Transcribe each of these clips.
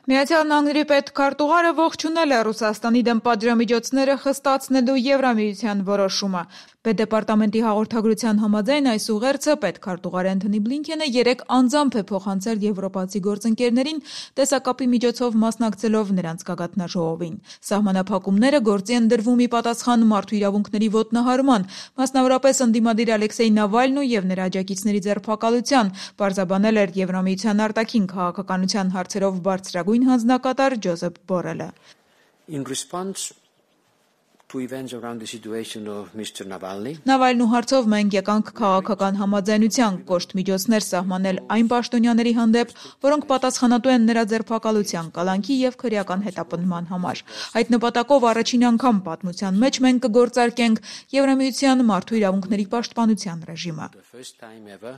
Միացյալ Նահանգների պետքարտուղարը ողջունել է Ռուսաստանի դեմ պատժամիջոցները խստացնելու Եվրամիության որոշումը։ Պետդեպարտամենտի հաղորդագրության համաձայն այս ուղերձը պետքարտուղար Էնթոնի Բլինքենը երեկ անձամբ է փոխանցել եվրոպացի գործընկերներին, տեսակապի միջոցով մասնակցելով նրանց գագաթնաժողովին։ Սահմանափակումները գործի են դրվում ի պատասխան մարդու իրավունքների ոտնահարման, մասնավորապես ընդդիմադիր Ալեքսեյ Նավալնու եւ նրա աջակիցների ձերբակալության, պարզաբանել էր Եվրամիության արտաքին քաղաքականության հարցերով բարձրագույն հանձնակատար Ջոզեփ Բորելը։ In response to events around the situation of Mr. Navalny, Նավալնու հարցով մենք եկանք քաղաքական համաձայնության, կոշտ միջոցներ սահմանել այն պաշտոնյաների հանդեպ, որոնք պատասխանատու են նրա ձերբակալության, կալանքի եւ քրեական հետապնդման համար։ Այդ նպատակով առաջին անգամ պատմության մեջ մենք կգործարկենք Եվրամիության մարդու իրավունքների պաշտպանության ռեժիմը։ the first time ever,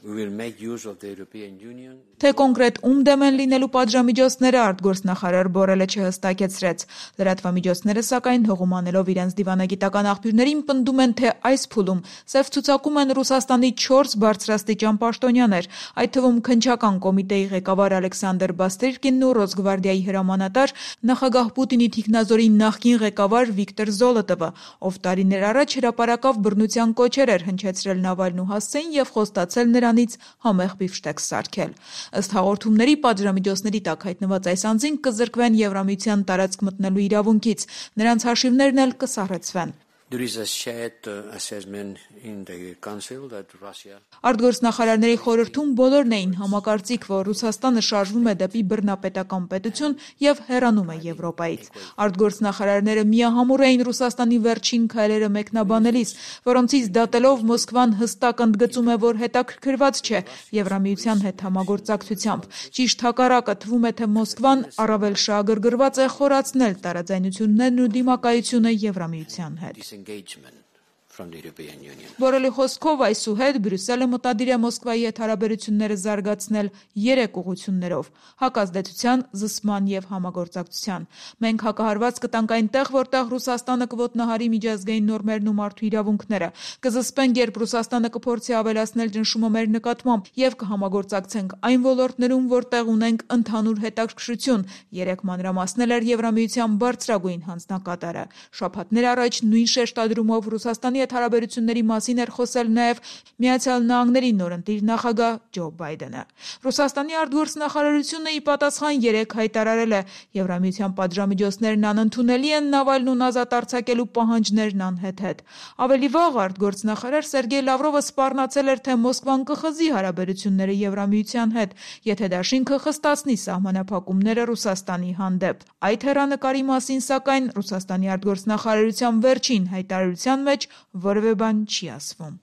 we will make use of the European Union. Թե կոնկրետ ում դեմ են լինելու պատժամիջոցները արտգործնախարար Բորելը չհստակեցրեց։ Լրատվամիջոցները սակայն հողում անելով իրենց դիվանագիտական աղբյուրներին պնդում են, թե այս փուլում սև ցուցակում են Ռուսաստանի 4 բարձրաստիճան պաշտոնյաներ, այդ թվում քննչական կոմիտեի ղեկավար Ալեքսանդր Բաստրիկինն ու Ռոսգվարդիայի հրամանատար նախագահ Պուտինի թիկնազորի նախկին ղեկավար Վիկտոր Զոլոտովը, ով տարիներ առաջ հրապարակավ բռնության կոչեր էր հնչեցրել Նավալնու հասցեին եւ խոստացել նրանից համեղ բիֆշտեքս սարքել։ Ըստ հաղորդումների պատժամիջոցների տակ հայտնված այս անձին կզրկվեն Եվրամիության տարածք մտնելու իրավունքից, նրանց հաշիվներն էլ կսառեցվեն։ There is a shared assessment in the Council that Russia Արտգործնախարարների խորհրդում բոլորն էին համակարծիք, որ Ռուսաստանը շարժվում է դեպի բռնապետական պետություն եւ հեռանում է Եվրոպայից։ Արտգործնախարարները միահամուռ էին Ռուսաստանի վերջին քայլերը մեկնաբանելիս, որոնցից դատելով Մոսկվան հստակ ընդգծում է, որ հետաքրքրված չէ Եվրամիության հետ համագործակցությամբ։ Ճիշտ հակառակը, թվում է, թե Մոսկվան առավել շահագրգռված է խորացնել տարաձայնություններն ու դիմակայությունը Եվրամիության հետ։ engagement from the European Union. Բորելի խոսքով այսուհետ Բրյուսելը մտադիր է Մոսկվայի հետ հարաբերությունները զարգացնել 3 ուղղություններով՝ հակազդեցության, զսպման եւ համագործակցության։ Մենք հակահարված կտանք այնտեղ, որտեղ Ռուսաստանը կոտնահարի միջազգային նորմերն ու մարդու իրավունքները, կզսպենք, երբ Ռուսաստանը կփորձի ավելացնել ճնշումը մեր նկատմամբ եւ կհամագործակցենք այն ոլորտներում, որտեղ ունենք ընդհանուր հետաքրքրություն, երեք մանրամասնել էր Եվրամիության բարձրագույն հանձնակատարը։ Շաբաթներ առաջ նույն շեշտադրումով Ռուսաստանի հարաբերությունների մասին էր խոսել նաև Միացյալ Նահանգների նորընտիր նախագահ Ջո Բայդենը։ Ռուսաստանի արտգործնախարարությունը ի պատասխան 3 հայտարարել է, Եվրամիության պատժամիջոցներն անընդունելի են, Նավալնուն ազատ արձակելու պահանջներն անհեթեթ։ Ավելի վաղ արտգործնախարար Սերգեյ Լավրովը սպառնացել էր, թե Մոսկվան կխզի հարաբերությունները Եվրամիության հետ, եթե դաշինքը խստացնի սահմանափակումները Ռուսաստանի հանդեպ։ Այդ հեռանկարի մասին սակայն Ռուսաստանի արտգործնախարարության վերջին հայտարարության մեջ որևէ բան չի ասվում։